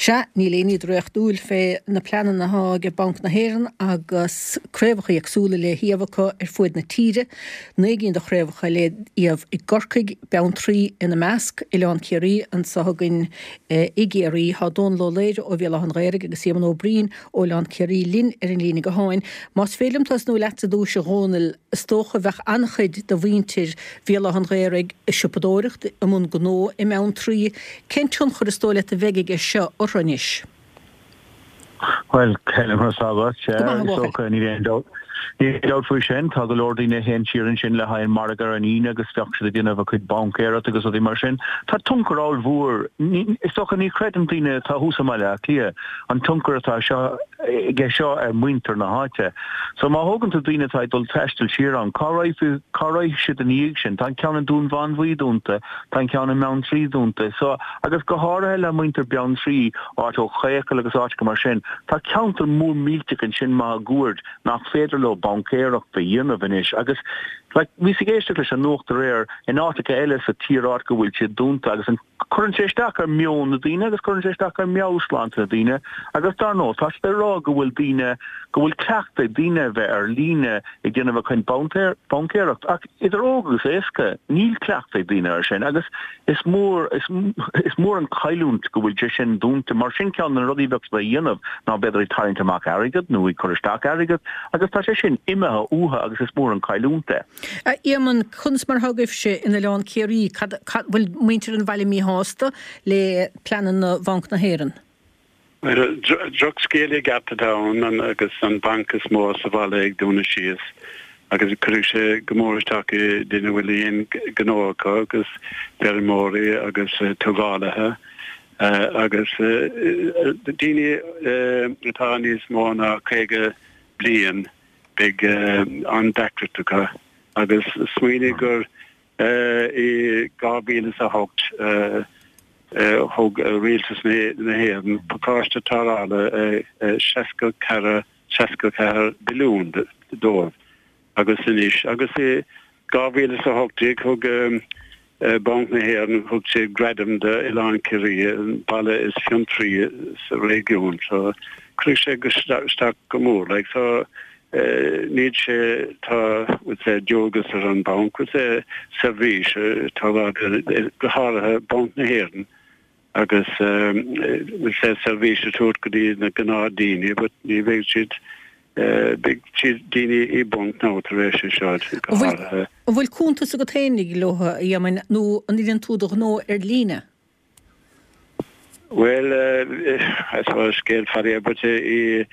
Sea, níl aon ní draíochtúil fé na pleananna athá ag Banc na hÉireann agus craobhacha éagsúla le hiamh acu ar fuaid na tíre. 9 gcinn de chraobhacha le hiamh i gCorcaigh, Beanntraí ina measc, Oileán Ciarraí anso againn i gCiarraí. Tá Dónal Ó Laoire ó Bhéal Átha an Ghaorthaidh agus Éamonn Ó Braoin ó Oileán Ciarraí linn ar an líne gutháin. Más féidir liom tosnú leatsa ar dtúis a Dhónaill, is dócha bheadh an-chuid de mhuintir Bhéal Átha an Ghaorthaidh ag siopadóireacht, i mbun gnó i mBeanntraí. Cén tionchar is dóigh leat a bheidh aige seo orthu anois? Bhuel, Helen, conas tá agat? Go maith, a Is bhuachaill. dócha, níl aon dabht, níl aon dabht faoi sin. Tá go leor daoine a théann siar ansin le haghaidh an margadh ar an Aoine agus bheadh siad ag déanamh a cuid baincéireacht agus rudaí mar sin. Tá tionchar ollmhór, is dócha, ní chreideann daoine atá thuas i mBaile Átha Cliath an tionchar atá seo aige seo ar mhuintir na háite. So má thógann tú daoine atá ag dul taisteal siar ann, cá raghaidh, cá raghaidh siad ina dhiaidh sin? Tá an ceann i nDún Mánmhaí dúnta, tá an ceann i mBeanntraí dúnta. So, agus go háirithe le muintir Beanntraí, áit ó Chaocal agus áiteacha mar sin, tá ceantar mór millteach ansin máguaird nach féidir leo baincéireacht a dhéanamh anois agus like bhíos ag éisteacht leis an nuacht aréir in áiteacha eile sa tír áit go bhfuil siad dúnta agus an cuireann sé isteach ar meon na daoine agus cuireann sé isteach ar meabhairshláinte na daoine agus dar ndóigh tá siad ag rá go bhfuil daoine go bhfuil cleachtadh ag daoine a bheith ar líne ag déanamh a gcuid baincéireacht ach idir óg agus aosta níl cleachtadh ag daoine ar sin agus is mór is mór an chailliúint go bhfuil sé sin dúnta mar sin ceann de na rudaí a bheadh siad a dhéanamh ná b'fhéidir ag tarraingt amach airgead nó ag cur isteach airgead agus tá sé sin imithe uathu agus is mór an chailliúint é. A Éamonn, conas mar atá agaibhse in Oileán Ciarraí? Cad, cad, bhfuil muintir an bhaile míshásta le pleananna Bhanc na hÉireann? Bhuel, drochscéal i gceart atá ann agus an banc is mó sa bhaile ag dúnadh síos agus cuirfidh sé go mór isteach i daoine a bhfuil aon ghnó acu agus feirmeoirí agus tógálaithe agus daoine atá níos mó ná 50 bliain beidh an-deacracht acu agus smaoinigh gur I 2008 thug Rialtas na hÉireann pacáiste tarrthála 64 64 billiún dóibh agus anois agus i 2018 thug Banc na hÉireann thug sé gradam d'Oileán Ciarraí, an baile is fiontraí sa réigiún. So cuirfidh sé isteach go mór like so Níl sé, tá, bhfuil sé, dualgas ar an banc, bhfuil sé, seirbhís, tá, go háirithe Banc na hÉireann agus bhfuil sé, seirbhís a tabhairt go dtí na gnáthdaoine but ní bheidh siad, beidh siad daoine i bponc now tar éis é seo, go háirithe. An bhfuil cuntas agat féinig leo, a Éamoinn, nó an ndéanann tú do ghnó ar líne? Bhuel, I suppose scéal fada é but i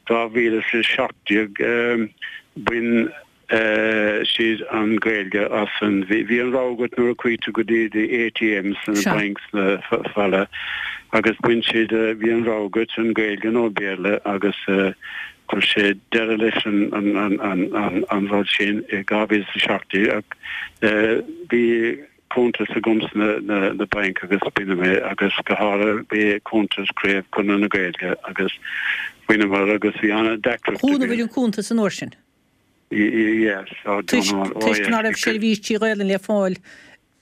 2017 bhain siad an Ghaeilge as an, bhí an rogha agat nuair a chuaigh tú go dtí the ATMs sna banks na baile agus bhain siad, bhí an rogha agat an Ghaeilge nó Béarla agus chuir sé deireadh leis an rud sin i 2017 ach bhí cuntas agam sna na bainc agus baineadh é agus go háirithe bhí cuntas Craobh Chonradh na Gaeilge agus bhaineamar agus bhí an-deacracht againn. Dhúnabhair an cuntas an uair sin? Yes, oh Toisc toisc ná raibh seirbhísí Ghaelainn le fáil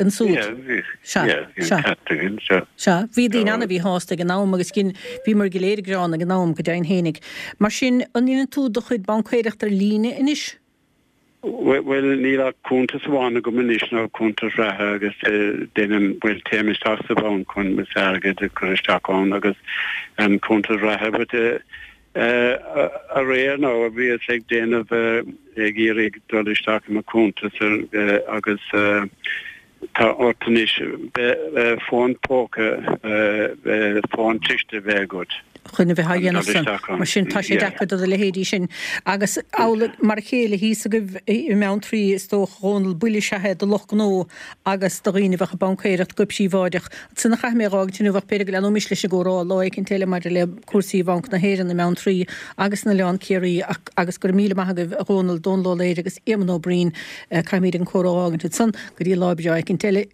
ansúd? Yeah, bhí, Sea, yeah, bhí an sea. ceart againn, sea. Sea, bhí daoine an-mhíshásta ag an am agus gin, bhíomar go léir ag gearán ag an am, go deimhin fhéinig. Mar sin, an ndéanann tú do chuid baincéireachta ar líne anois? Bhuel, níl ach cuntas amháin agam anois, nó cuntas reatha, agus déanaim, bhuel, téim isteach sa bhanc chun m'airgead a chur isteach ann agus an cuntas reatha, but aréir nó bhíos ag déanamh, ag iarraidh dul isteach i mo chuntas agus Tá ort anois fón póca, fón cliste a bheith agat. chun a bheith á dhéanamh san. Mar sin, tá sé deacair do do leithéidí sin. Agus amhlaidh, mar a chéile thíos agaibh i mBeanntraí, is dócha, a Dhónaill, buille is ea é do lucht gnó agus do dhaoine a bheadh ag baincéireacht go príobháideach. Ansin a chaithfidh mé a dh'fhágaint inniu ach b'fhéidir go leanfaimis leis an gcomhrá lá éicint eile maidir le cúrsaí Bhanc na hÉireann i mBeanntraí agus in Oileán Ciarraí agus go raibh míle maith agaibh, a Dhónaill, Dónal Ó Laoire agus Éamonn Ó Braoin. Caithfimid an comhrá a fhágaint ansan go dtí lá breá éicint eile.